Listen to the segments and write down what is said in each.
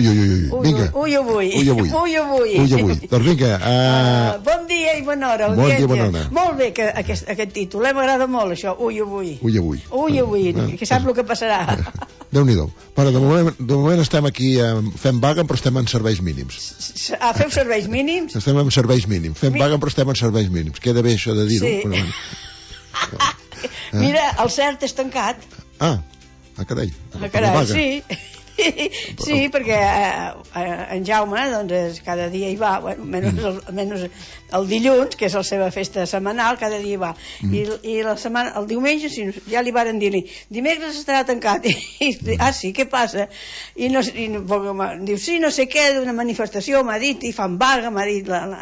vinga. Ui, avui. Doncs vinga. Bon dia i bona hora. Bon dia i bona hora. Molt bé, aquest títol. M'agrada molt, això. Ui, avui. Que sap el que passarà. Déu-n'hi-do. Però de moment estem aquí fent vaga, però estem en serveis mínims. Feu serveis mínims? Estem en serveis mínims. Fem vaga, però estem en serveis mínims. Queda bé això de dir-ho. Sí. Mira, el CERT és tancat. Carai. Sí. Sí, perquè en Jaume doncs, cada dia hi va, menys el dilluns, que és la seva festa setmanal, cada dia hi va, i el diumenge ja li varen dir-li dimecres estarà tancat, sí, què passa? I diu, sí, no sé què, d'una manifestació m'ha dit, i fan vaga, m'ha dit el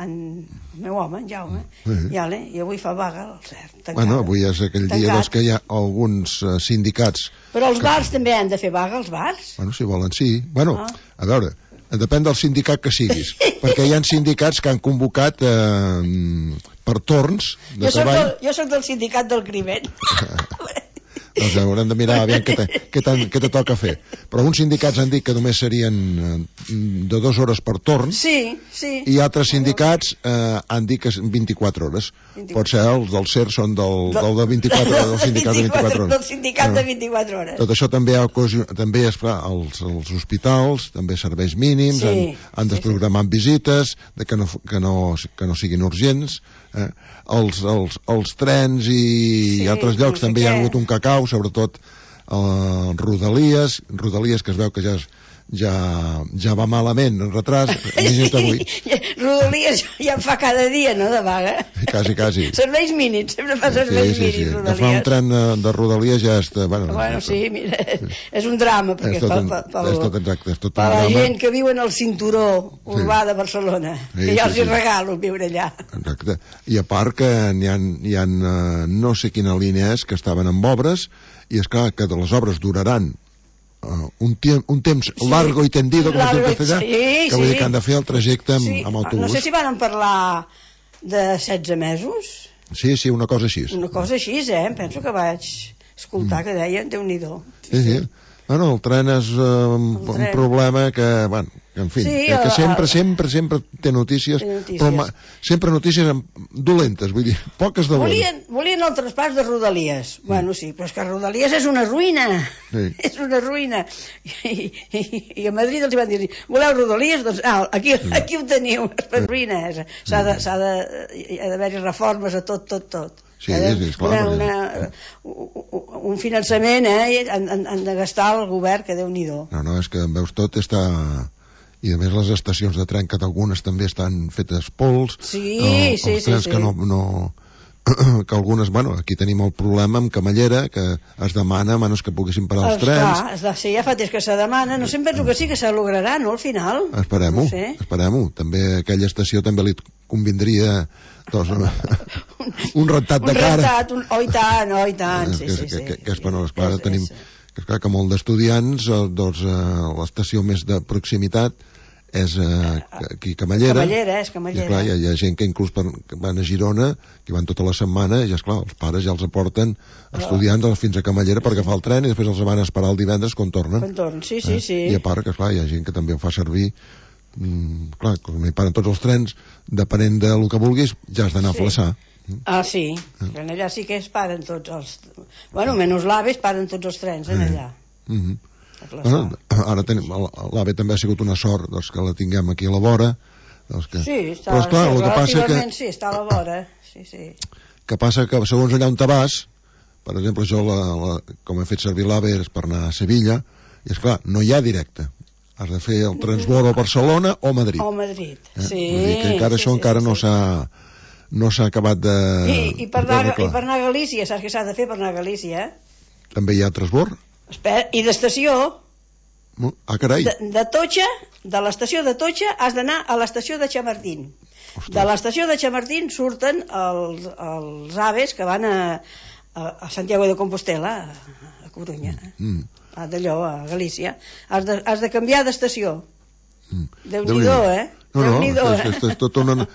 meu home, en Jaume, i avui fa vaga el CERT. Bueno, avui és aquell dia que hi ha alguns sindicats. Però els bars també han de fer vaga, els bars? Bueno, si volen, sí. Bueno, a veure, depèn del sindicat que siguis, perquè hi ha sindicats que han convocat per torns de treball. Jo soc del sindicat del crimen. Doncs haurem de mirar aviam què te toca fer. Però uns sindicats han dit que només serien de 2 hores per torn. Sí. I altres sindicats han dit que 24 hores. Pot ser els del CER són del de 24 hores, del sindicat de 24 hores. Del sindicat de 24 hores. Tot això també és clar, els hospitals, també serveis mínims, han desprogramat visites, que no siguin urgents. Els trens i altres llocs també hi ha hagut un cacau, sobretot Rodalies que es veu que ja va malament en retras. Rodalies ja fa cada dia, no, de vaga? Quasi. Serveis mínims, sempre fa serveis mínims, Rodalies. Agafar un tren de Rodalies ja és... Bueno, sí, mira, és un drama, perquè és tot per la gent que viu en el cinturó urbà de Barcelona, que ja els hi regalo viure allà. Exacte. I a part que hi ha no sé quina línia és, que estaven amb obres, i és clar que les obres duraran un temps largo i tendido, com es diu en castellà, que vull dir que han de fer el trajecte amb autobús. No sé si van parlar de 16 mesos. Sí, una cosa així. Una cosa així, penso que vaig escoltar que deien, Déu-n'hi-do. Sí. Bueno, el tren és un problema que, bueno, en fi, que sempre té notícies, però sempre notícies dolentes, vull dir, poques de bones. Volien el traspàs de Rodalies. Bueno, sí, però és que Rodalies és una ruïna. És una ruïna. I a Madrid els van dir, voleu Rodalies? Doncs aquí ho teniu, és una ruïna. Ha d'haver-hi reformes a tot. Sí, clar. Un finançament, han de gastar el govern, que Déu-n'hi-do. No, és que veus tot està... I a més les estacions de tren, que algunes també estan fetes pols. Sí. Els trens que no... que algunes, bueno, aquí tenim el problema amb Camallera, que es demana menys que poguessin parar els trens. Clar, ja fa temps que se demana, no sé, em penso que sí, que se lograrà, no, al final? Esperem-ho. També aquella estació també li convindria un rentat de cara. I tant, sí. Que és, bueno, esclar, tenim... Que és clar que molt d'estudiants, doncs l'estació més de proximitat és aquí Camallera. I esclar, hi ha gent que inclús van a Girona, que van tota la setmana, i esclar, els pares ja els aporten estudiants fins a Camallera per agafar el tren i després els van a esperar el divendres quan tornen. Sí. I a part que, esclar, hi ha gent que també ho fa servir, clar, quan hi paren tots els trens, depenent del que vulguis, ja has d'anar a flaçar. Sí, allà sí que es paren tots els... Bueno, menys l'AVE es paren tots els trens, allà. Bueno, ara l'AVE també ha sigut una sort que la tinguem aquí a la vora. Sí, relativament sí, està a la vora. Que passa que segons allà on te vas, per exemple, jo com he fet servir l'AVE és per anar a Sevilla, i esclar, no hi ha directe. Has de fer el transbord a Barcelona o Madrid. Sí. Vull dir que encara això no s'ha acabat de... I per anar a Galícia, saps què s'ha de fer per anar a Galícia? També hi ha transbord? I d'estació. Carai. De Totxa, de l'estació de Totxa has d'anar a l'estació de Chamartín. De l'estació de Chamartín surten els aves que van a Santiago de Compostela, a Corunya, d'allò, a Galícia. Has de canviar d'estació. Déu-n'hi-do, Déu-n'hi-do, és tot un renou.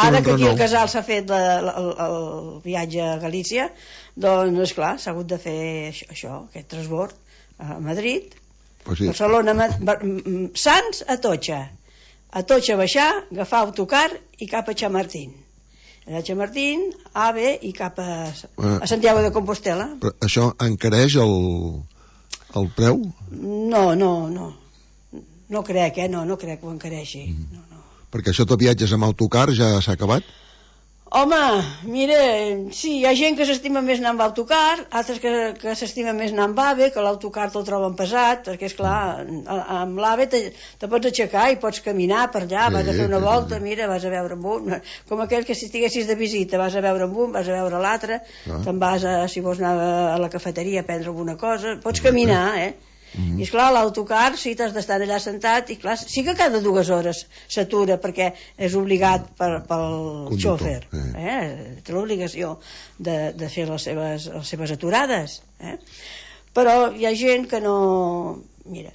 Ara que aquí al Casal s'ha fet el viatge a Galícia, doncs, esclar, s'ha hagut de fer això, aquest transbord a Madrid, Barcelona, Sants a Totxa baixar, agafar autocar i cap a Chamartín. A Chamartín, AVE i cap a Santiago de Compostela. Però això encareix el preu? No crec, no crec que ho encareixi. No. Perquè això de viatges amb autocar ja s'ha acabat? Home, mira, sí, hi ha gent que s'estima més anar amb autocar, altres que s'estima més anar amb AVE, que l'autocar te'l troben pesat, perquè, esclar, amb l'AVE te pots aixecar i pots caminar per allà, vas a fer una volta, mira, vas a veure amb un, com aquell que si estiguessis de visita, vas a veure amb un, vas a veure l'altre, te'n vas, si vols anar a la cafeteria a prendre alguna cosa, pots caminar, I esclar, l'autocar sí, t'has d'estar allà sentat i clar, sí que cada 2 hores s'atura perquè és obligat pel xòfer, té l'obligació de fer les seves aturades, però hi ha gent que no... Mira,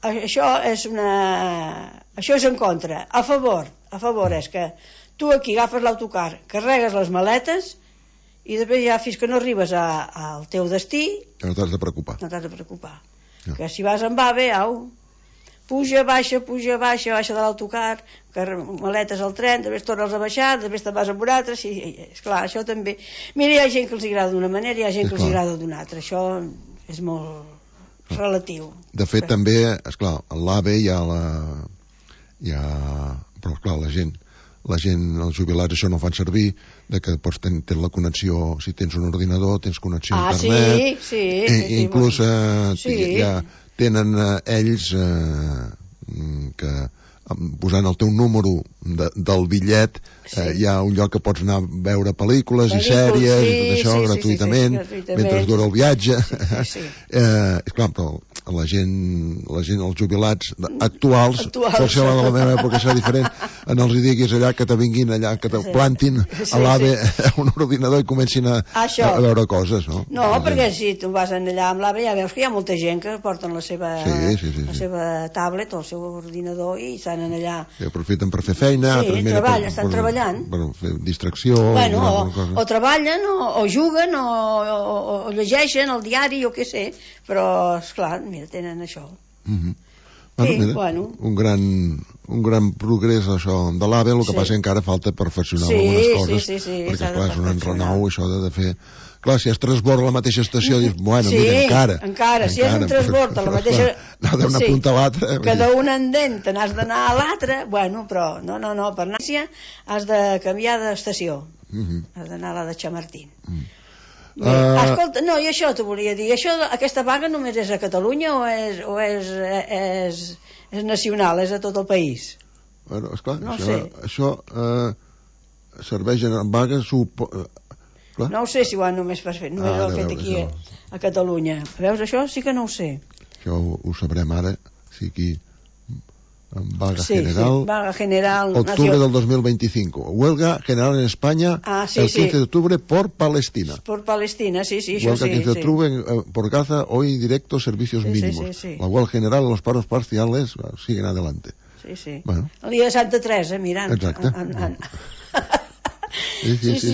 això és en contra. A favor és que tu aquí agafes l'autocar, carregues les maletes i després ja fins que no arribes al teu destí no t'has de preocupar. No. Que si vas amb AVE, puja, baixa de l'autocar, maletes al tren, després tornes a baixar, després te'n vas amb un altre, sí, esclar, això també... Mira, hi ha gent que els agrada d'una manera i hi ha gent que els agrada d'una altra, això és molt relatiu. De fet, també, esclar, a l'AVE hi ha però esclar, la gent, els jubilats això no fan servir, que pots tenir la connexió, si tens un ordinador tens connexió a internet, i inclús ja tenen ells que posant el teu número del bitllet hi ha un lloc que pots anar a veure pel·lícules i sèries i tot això gratuïtament mentre dura el viatge. Esclar, però la gent, els jubilats actuals, pot ser la de la meva època serà diferent, els diguis allà que te vinguin allà, que te plantin a l'AVE un ordinador i comencin a veure coses, no? No, perquè si tu vas allà amb l'AVE ja veus que hi ha molta gent que porten la seva tablet o el seu ordinador i estan allà. I aprofiten per fer feina, estan treballant. Per fer distracció. O treballen, o juguen, o llegeixen el diari, o què sé, però, esclar, mira, tenen això. Un gran progrés això de l'AVE, el que passa encara falta perfeccionar algunes coses, perquè clar, és un enrenou això de fer... Clar, si es transborda la mateixa estació, dius, bueno, mira, encara, si és un transbord a la mateixa... Anar d'una punta a l'altra... Que d'un endent te n'has d'anar a l'altra, bueno, però no, per Nàcia has de canviar d'estació, has d'anar a la de Chamartín. Escolta, no, i això t'ho volia dir, aquesta vaga només és a Catalunya o és nacional, és a tot el país? Bueno, esclar, això serveix en vagues... No ho sé si ho han només fet aquí a Catalunya. Veus, això sí que no ho sé. Això ho sabrem ara, si aquí vaga general. Vaga general. Octubre del 2025. Huelga general en España el 15 de octubre por Palestina. Por Palestina, sí, huelga 15 de octubre por Gaza, hoy directo servicios mínimos. La huelga general, los paros parciales siguen adelante. Sí. Bueno. El dia de Santa Teresa, mirant. Exacte.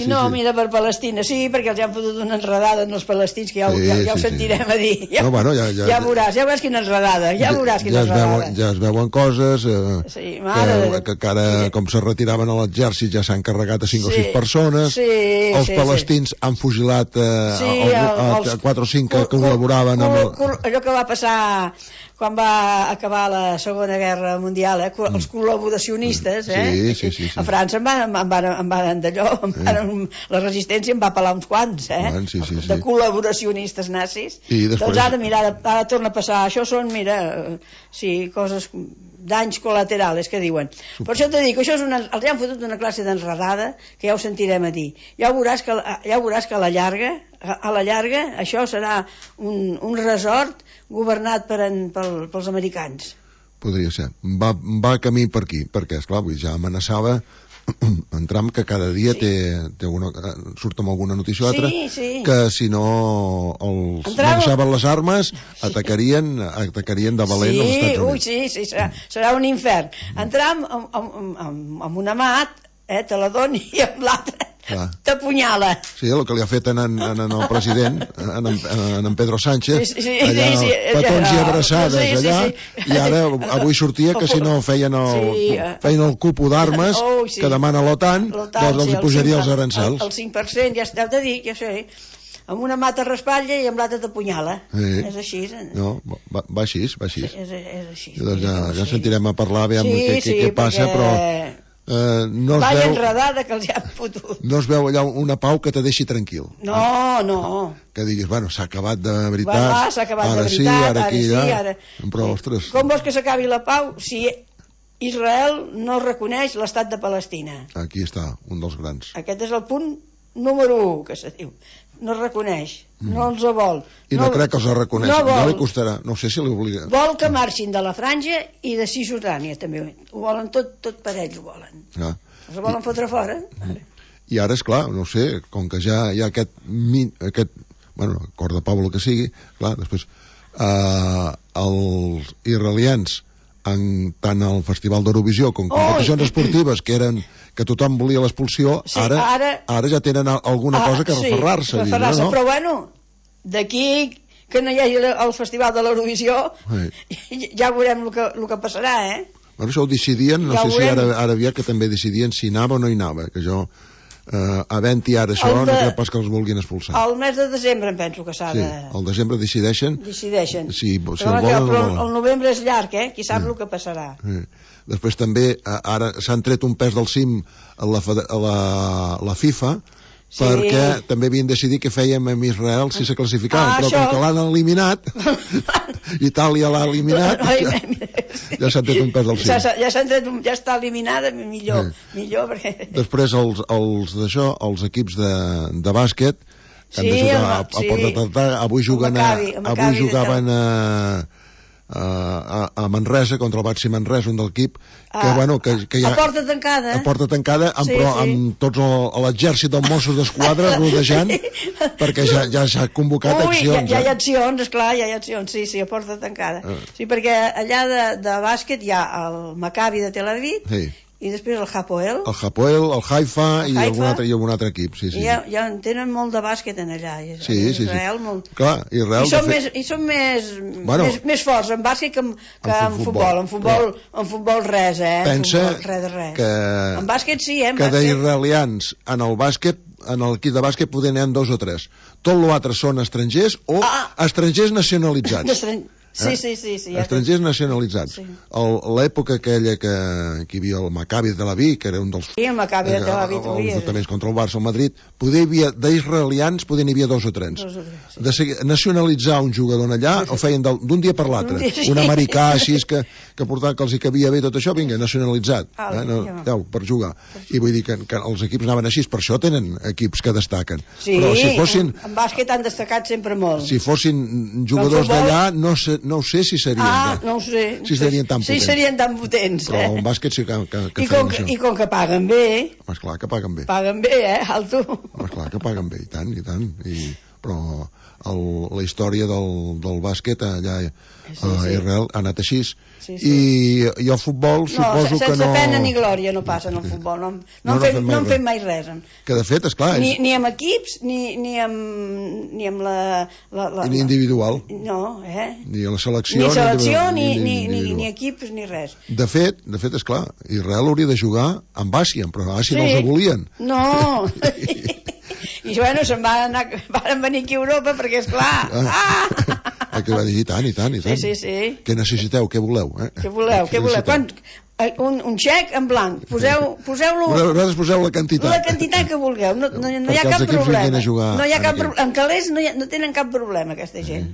No, mira, per Palestina sí, perquè els han fotut una enredada en els palestins que ja ho sentirem a dir. Ja veuràs quina enredada, ja es veuen coses que ara com se retiraven a l'exèrcit ja s'han carregat a 5 o 6 persones, els palestins han fugilat a 4 o 5 que col·laboraven amb allò que va passar quan va acabar la Segona Guerra Mundial, els col·laboracionistes, a França en van d'allò, la resistència en va pelar uns quants, de col·laboracionistes nazis. Doncs ara torna a passar, això són, coses, danys col·laterals, que diuen. Per això t'he dit que els han fotut una classe d'enredada, que ja ho sentirem a dir. Ja veuràs que a la llarga això serà un resort governat pels americans. Podria ser. Va camí per aquí, perquè, esclar, ja amenaçava en Trump, que cada dia surt amb alguna notícia o altra, que si no els llançaven les armes atacarien de valent als Estats Units. Sí, serà un infern. En Trump amb una mà te la doni i amb l'altra t'apunyala. Sí, el que li ha fet en el president, en Pedro Sánchez, allà petons i abraçades allà, i ara avui sortia que si no feien el cupo d'armes que demana l'OTAN, doncs els posaria els aranzels. El 5%, ja t'he de dir, ja sé, amb una mata raspalla i amb l'altra t'apunyala. És així. No, va així. És així. Doncs ja sentirem a parlar, aviam què passa, però no es veu... enredada que els hi han fotut. No es veu allà una pau que te deixi tranquil. No. Que diguis, bueno, s'ha acabat de veritat, ara sí, ara aquí, ja. Però, ostres... Com vols que s'acabi la pau si Israel no reconeix l'estat de Palestina? Aquí està, un dels grans. Aquest és el punt número 1, que se diu. No reconeix, no els vol. I no crec que els reconeix, no li costarà, no sé si li obliga. Vol que marxin de la Franja i de Cisjordània, també. Ho volen tot per ells, ho volen. Els volen fotre fora. I ara, esclar, no sé, com que ja hi ha aquest acord de pau, el que sigui, clar, després els israelians tant al Festival d'Eurovisió com competicions esportives que tothom volia l'expulsió, ara ja tenen alguna cosa que referrar-se. Però bueno, d'aquí que no hi hagi el Festival de l'Eurovisió ja veurem el que passarà, Bueno, això ho decidien, no sé si ara aviat que també decidien si anava o no hi anava, que jo havent-hi ara això no crec pas que els vulguin expulsar. El mes de desembre em penso que s'ha de... Sí, al desembre decideixen si el volen o no volen. El novembre és llarg, qui sap el que passarà. Després també ara s'han tret un pes del cim a la FIFA, perquè també havien decidit què fèiem amb Israel si se classificaven, però com que l'han eliminat, Itàlia l'ha eliminat, ja s'han tret un pes del cim. Ja està eliminada, millor perquè... Després els equips de bàsquet que han de jugar a Porta Tartà, avui jugaven a Manresa contra el Baxi Manresa, un del equip que ja, a porta tancada però amb tots l'exèrcit dels Mossos d'Esquadra rodejant perquè ja s'ha convocat accions. Ja hi ha accions, esclar, sí, a porta tancada. Sí, perquè allà de bàsquet hi ha el Maccabi de Tel Aviv i després el Hapoel, el Haifa i algun altre equip. Ja en tenen molt de bàsquet en allà. Israel molt... Clar, Israel i són més forts en bàsquet que en futbol. En futbol res, pensa que en bàsquet sí, que d'israelians en el bàsquet, en l'equip de bàsquet poder n'hi ha 2 o 3. Tot l'altre són estrangers o estrangers nacionalitzats. Sí. Estrangers nacionalitzats. L'època aquella que hi havia el Maccabi de Tel Aviv, que era un dels... Sí, el Maccabi de Tel Aviv. Els enfrontaments contra el Barça al Madrid, d'israelians n'hi havia 2 o 3. De nacionalitzar un jugador allà, ho feien d'un dia per l'altre. Un americà així que portava que els hi cabia bé tot això, vinga, nacionalitzat. Per jugar. I vull dir que els equips anaven així, per això tenen equips que destaquen. Però si fossin... En bàsquet han destacat sempre molt. Si fossin jugadors d'allà, no ho sé si serien no ho sé. Si serien tan potents. Sí, serien tan potents. Però el bàsquet sí que feien això. I com que paguen bé. Esclar que paguen bé. Paguen bé, Alto. Esclar que paguen bé, i tant. Però la història del bàsquet allà a Israel ha anat així. I el futbol suposo que no... Sense pena ni glòria no passa en el futbol. No han fet mai res. Que de fet, esclar... Ni amb equips, ni amb la... Ni individual. No, Ni a la selecció. Ni selecció, ni equips, ni res. De fet, esclar, Israel hauria de jugar amb Àsia, però a Àsia no els volien. No! I bueno, se'n van venir aquí a Europa perquè, esclar... Que va dir, i tant. Sí. Què necessiteu, què voleu? Què voleu? Un xec en blanc. Poseu-lo... Vosaltres poseu la quantitat. La quantitat que vulgueu. No hi ha cap problema. No hi ha cap problema. En calés no tenen cap problema, aquesta gent.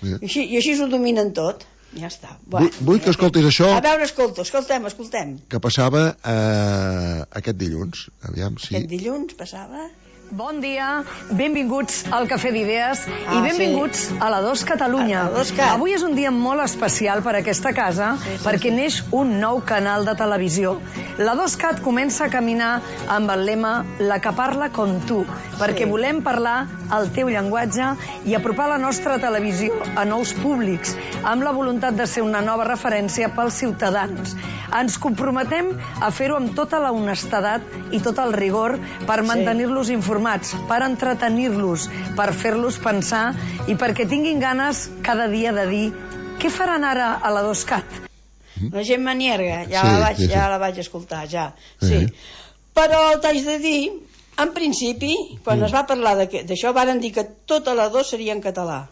I així ho dominen tot. Ja està. Vull que escoltis això... A veure, escoltem. Que passava aquest dilluns. Aviam, sí. Aquest dilluns passava... Bon dia, benvinguts al Cafè d'Idees i benvinguts a la 2 Catalunya. Avui és un dia molt especial per a aquesta casa perquè neix un nou canal de televisió. La 2Cat comença a caminar amb el lema La que parla com tu, perquè volem parlar el teu llenguatge i apropar la nostra televisió a nous públics, amb la voluntat de ser una nova referència pels ciutadans. Ens comprometem a fer-ho amb tota la honestedat i tot el rigor per mantenir-los informats, per entretenir-los, per fer-los pensar i perquè tinguin ganes cada dia de dir què faran ara a la 2Cat. La Gemma Nierga, ja la vaig escoltar, ja. Sí. Però t'haig de dir, en principi, quan es va parlar d'això, varen dir que tota la 2 seria en català.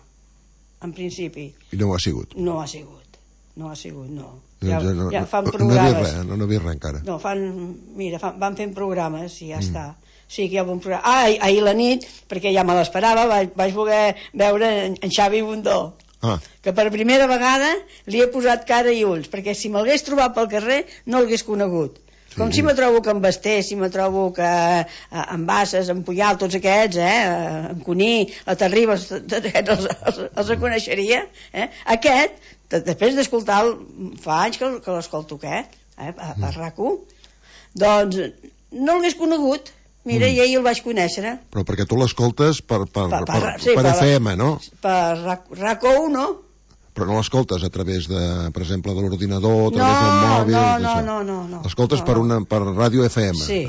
En principi. I no ho ha sigut? No ha sigut. No ha sigut, no. Ja fan programes. No havia res encara. No, van fent programes i ja està. Sí, que hi ha bon programa. Ahir la nit, perquè ja me l'esperava, vaig voler veure en Xavi Bundó, que per primera vegada li he posat cara i ulls, perquè si me'lgués trobat pel carrer no l'hagués conegut. Com si me trobo que en Basté, si me trobo que en Bassas, en Puyal, tots aquests, en Cuní, la Terribas, tots aquests els reconeixeria. Aquest, després d'escoltar-lo, fa anys que l'escolto aquest, a RAC1, doncs no l'hagués conegut. Mira, i ahir el vaig conèixer. Però perquè tu l'escoltes per FM, no? Per RAC1, no? Però no l'escoltes a través, per exemple, de l'ordinador, a través del mòbil? No. L'escoltes per ràdio FM? Sí.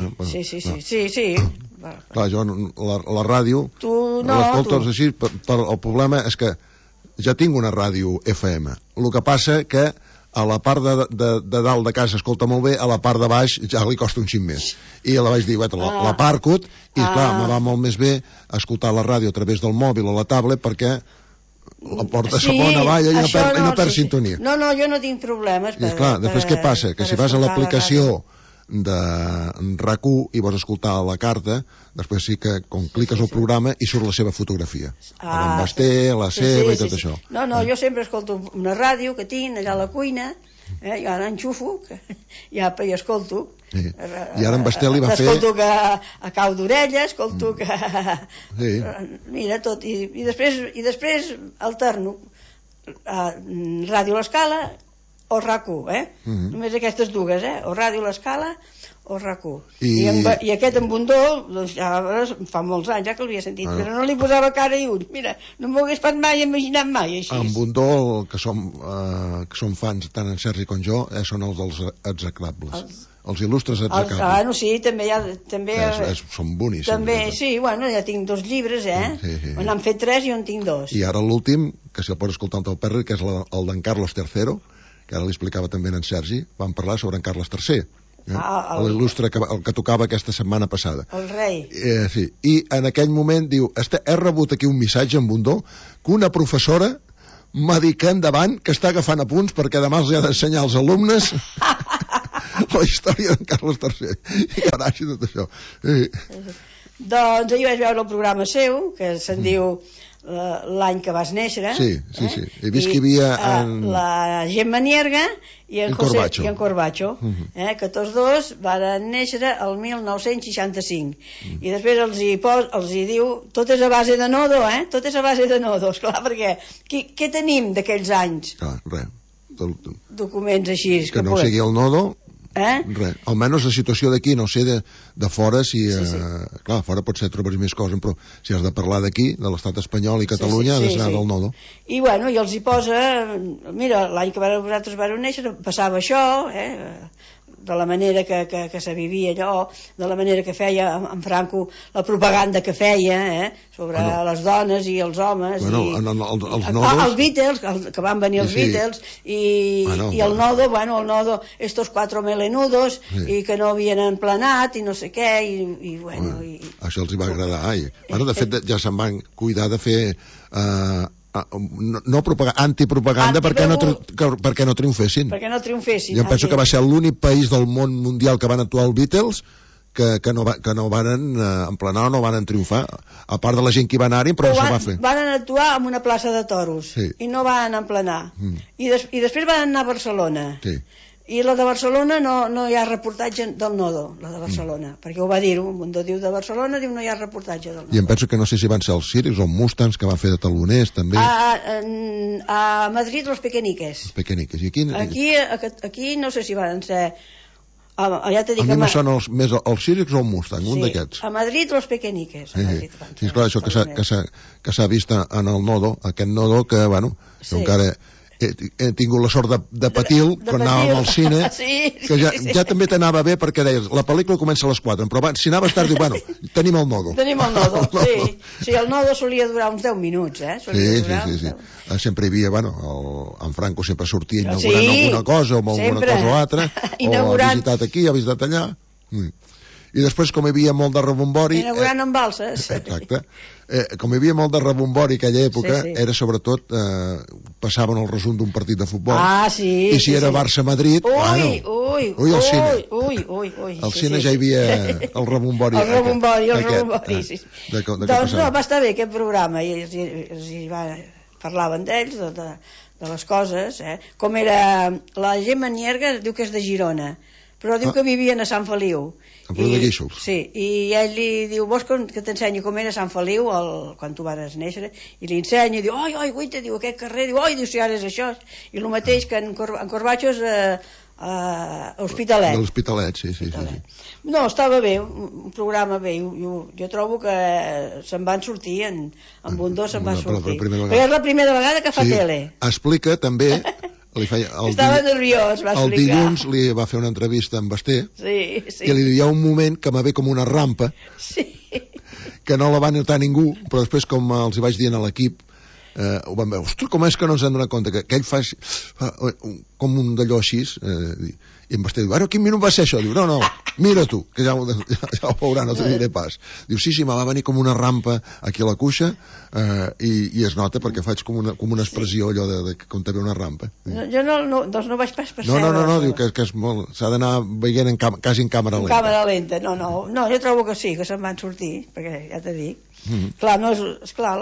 Clar, jo la ràdio l'escoltes així, el problema és que ja tinc una ràdio FM. El que passa que a la part de dalt de casa escolta molt bé, a la part de baix ja li costa un xic més. I la vaig dir, la parcut, i clar, me va molt més bé escoltar la ràdio a través del mòbil o la tablet perquè la porta segona valla i no perd sintonia. No, jo no tinc problemes. I clar, després què passa? Que si vas a l'aplicació de RAC1 i vols escoltar la carta, després sí que com cliques el programa i surt la seva fotografia, l'en Basté, la seva i tot això. No, jo sempre escolto una ràdio que tinc allà a la cuina, i ara enxufo i escolto. I ara en Basté li va fer... Escolto que a cau d'orella, escolto que... Mira, tot. I després alterno Ràdio L'Escala o RAC1, només aquestes dues, o Ràdio L'Escala o RAC1. I aquest en Bundó, doncs ja fa molts anys ja que l'havia sentit, però no li posava cara i ulls. Mira, no m'ho hagués pas mai imaginat mai així. En Bundó, que som fans tant en Sergi com jo, són els dels execrables. Els il·lustres execrables. Sí, també... Són boníssims. També, sí, ja tinc 2 llibres, n'han fet 3 i jo en tinc 2. I ara l'últim, que si el pots escoltar amb el Perri, que és el d'en Carlos III, que ara li explicava també en Sergi, vam parlar sobre en Carles III, l'il·lustre que tocava aquesta setmana passada. El rei. Sí, i en aquell moment diu, he rebut aquí un missatge en Bundó que una professora m'ha dit que endavant, que està agafant apunts perquè demà els ha d'ensenyar als alumnes la història d'en Carles III. I carai, tot això. Doncs ahir vaig veure el programa seu, que se'n diu l'any que vas néixer. Sí. He vist que hi havia la Gemma Nierga i en Corbacho, que tots dos van néixer el 1965. I després els hi diu, tot és a base de nodo, tot és a base de nodo, esclar, perquè què tenim d'aquells anys? Clar, res. Documents així. Que no sigui el nodo... Res. Almenys la situació d'aquí, no sé de fora, si clar, fora potser trobaràs més coses, però si has de parlar d'aquí, de l'estat espanyol i Catalunya, ha de ser del nodo. I els hi posa, mira, l'any que vosaltres vareu néixer passava això, de la manera que se vivia allò, de la manera que feia en Franco, la propaganda que feia sobre les dones i els homes, els Beatles, que van venir els Beatles, i el nodo, estos 4 melenudos, i que no havien emplenat, i no sé què, i això els hi va agradar. De fet, ja se'n van cuidar de fer... antipropaganda perquè no triomfessin. Jo penso que va ser l'únic país del món mundial que van actuar els Beatles que no van emplenar o no van triomfar, a part de la gent que hi va anar-hi, però això va fer. Van actuar en una plaça de toros i no van emplenar. I després van anar a Barcelona. I la de Barcelona no hi ha reportatge del Nodo, la de Barcelona, perquè ho va dir-ho, un mundo diu de Barcelona, diu no hi ha reportatge del Nodo. I em penso que no sé si van ser els Sirius o Mustangs que van fer de taloners, també. A Madrid, los Pequeñiques. Els Pequeñiques. I aquí no sé si van ser... Ja t'he dit a mi me són més els Sirius o el Mustang, un d'aquests. A Madrid, los Pequeñiques. Sí, esclar, això que s'ha vist en el Nodo, aquest Nodo que, bueno, encara... he tingut la sort de patir-lo quan anàvem al cine, que ja també t'anava bé perquè deies, la pel·lícula comença a les 4, però si anaves tard, dius, bueno, tenim el Nodo. Tenim el Nodo, sí. Sí, el Nodo solia durar uns 10 minuts, Sí. Sempre hi havia, bueno, en Franco sempre sortia inaugurant alguna cosa, o alguna cosa o altra, o ha visitat aquí, ha visitat allà. I després, com hi havia molt de rebombori... Inaugurant amb balses. Exacte. Com hi havia molt de rebombori aquella època, era sobretot... passaven el resum d'un partit de futbol. I si era Barça-Madrid... Ui, al cine. Al cine ja hi havia el rebombori. El rebombori, sí. Doncs no, va estar bé aquest programa. I parlaven d'ells, de les coses, com era... La Gemma Nierga diu que és de Girona, però diu que vivien a Sant Feliu. A Feliu de Guíxols. Sí, i ell li diu, vols que t'ensenyi com era Sant Feliu quan tu vas néixer? I li ensenya, i diu, guaita, diu, aquest carrer, diu, si ara és això. I el mateix que en Corbacho és Hospitalet. L'Hospitalet, sí. No, estava bé, un programa bé. Jo trobo que se'n van sortir, en Bundó se'n va sortir. Perquè és la primera vegada que fa tele. Explica també... Estava nerviós, va explicar. El dilluns li va fer una entrevista amb Basté i li diu, hi ha un moment que me ve com una rampa que no la va notar ningú, però després com els hi vaig dir a l'equip ho van veure, ostres, com és que no ens han donat compte que ell fa com un d'allò així i en Basté diu, ara quin minut va ser això? Diu, no, mira tu, que ja ho veurà, no te diré pas. Diu, sí, me va venir com una rampa aquí a la cuixa i es nota perquè faig com una expressió allò de com te ve una rampa. Jo doncs no vaig pas percebre. No, diu que és molt... s'ha d'anar veient quasi en càmera lenta. En càmera lenta, no, jo trobo que sí, que se'n van sortir, perquè ja t'he dit. Clar, no és clar,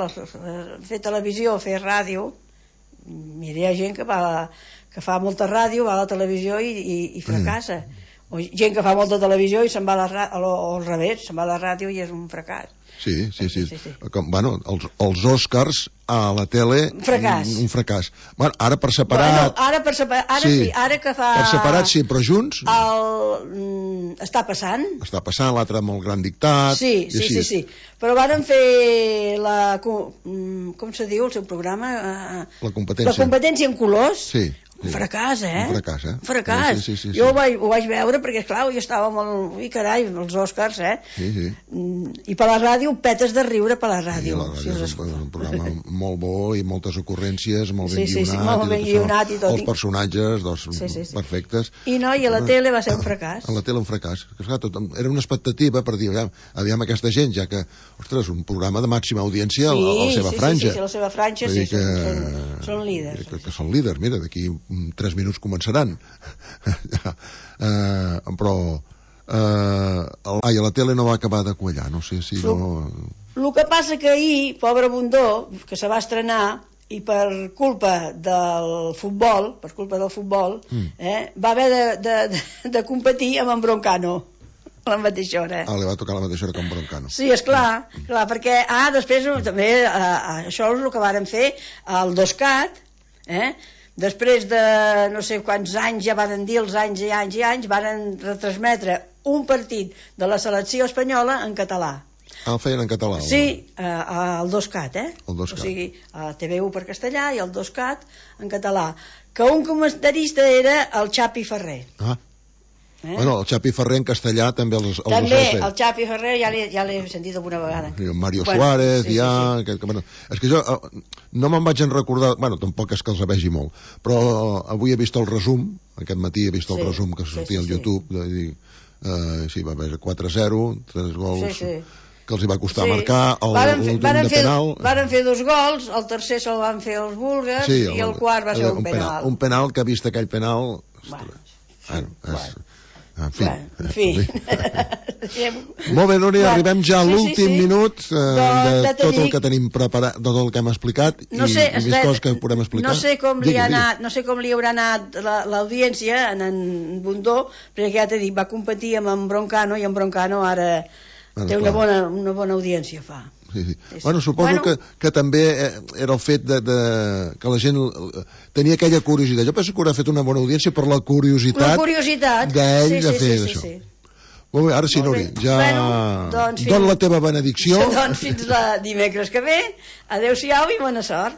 fer televisió, fer ràdio, mira, hi ha gent que fa molta ràdio, va a la televisió i fracassa. O gent que fa molta televisió i se'n va a la ràdio, o al revés, se'n va a la ràdio i és un fracàs. Sí. Bueno, els Oscars a la tele... Un fracàs. Bueno, ara per separat... Ara sí, ara que fa... Per separat sí, però junts... Està passant. Està passant, l'altre amb el gran dictat... Sí. Però varen fer com se diu el seu programa? La competència. La competència en colors. Sí. Un fracàs, Un fracàs. Sí. Jo ho vaig veure perquè, esclar, jo estava molt... Ui, carai, els Oscars, Sí. I per la ràdio, petes de riure per la ràdio. Sí, és un programa molt bo i moltes ocurrències, molt ben guionat. Sí, molt ben guionat i tot. Els personatges, perfectes. I a la tele va ser un fracàs. A la tele un fracàs. Era una expectativa per dir, aviam aquesta gent, ja que, ostres, un programa de màxima audiència a la seva franja. Sí, a la seva franja, són líders. Que són líders, mira, d'aquí 3 minuts començaran. Però a la tele no va acabar de quallar, no sé si no... El que passa que ahir, pobre Bundó, que se va estrenar, i per culpa del futbol, va haver de competir amb en Broncano a la mateixa hora. Li va tocar a la mateixa hora que en Broncano. Sí, esclar, perquè després també això és el que varen fer al 2CAT, després de no sé quants anys, ja van dir els anys i anys, van retransmetre un partit de la selecció espanyola en català. El feien en català? Sí, al 2CAT, El 2CAT. O sigui, a TV1 per castellà i el 2CAT en català. Que un comentarista era el Xapi Ferrer. Bueno, el Xapi Ferrer en castellà també els també, el Xapi Ferrer ja l'he sentit alguna vegada. Mario Suárez, Bueno, és que jo no me'n vaig en recordar, bueno, tampoc és que els vegi molt, però avui he vist el resum, aquest matí he vist el resum que sortia al YouTube, sí, va haver 4-0, 3 gols, que els hi va costar marcar, l'últim de penal... Varen fer 2 gols, el tercer se'l van fer els búlgars, i el quart va ser un penal. Un penal que, vist aquell penal... En fi. Molt bé, Núria, arribem ja a l'últim minut de tot el que tenim preparat, de tot el que hem explicat i més coses que podem explicar. No sé com li haurà anat l'audiència en Bundó, perquè ja t'he dit, va competir amb en Broncano i en Broncano ara té una bona audiència, fa. Sí. Bueno, suposo que també era el fet que la gent tenia aquella curiositat. Jo penso que haurà fet una bona audiència per la curiositat d'ell de fer això. Molt bé, ara sí, Núria, ja dona la teva benedicció. Doncs fins dimecres que ve. Adéu-siau i bona sort.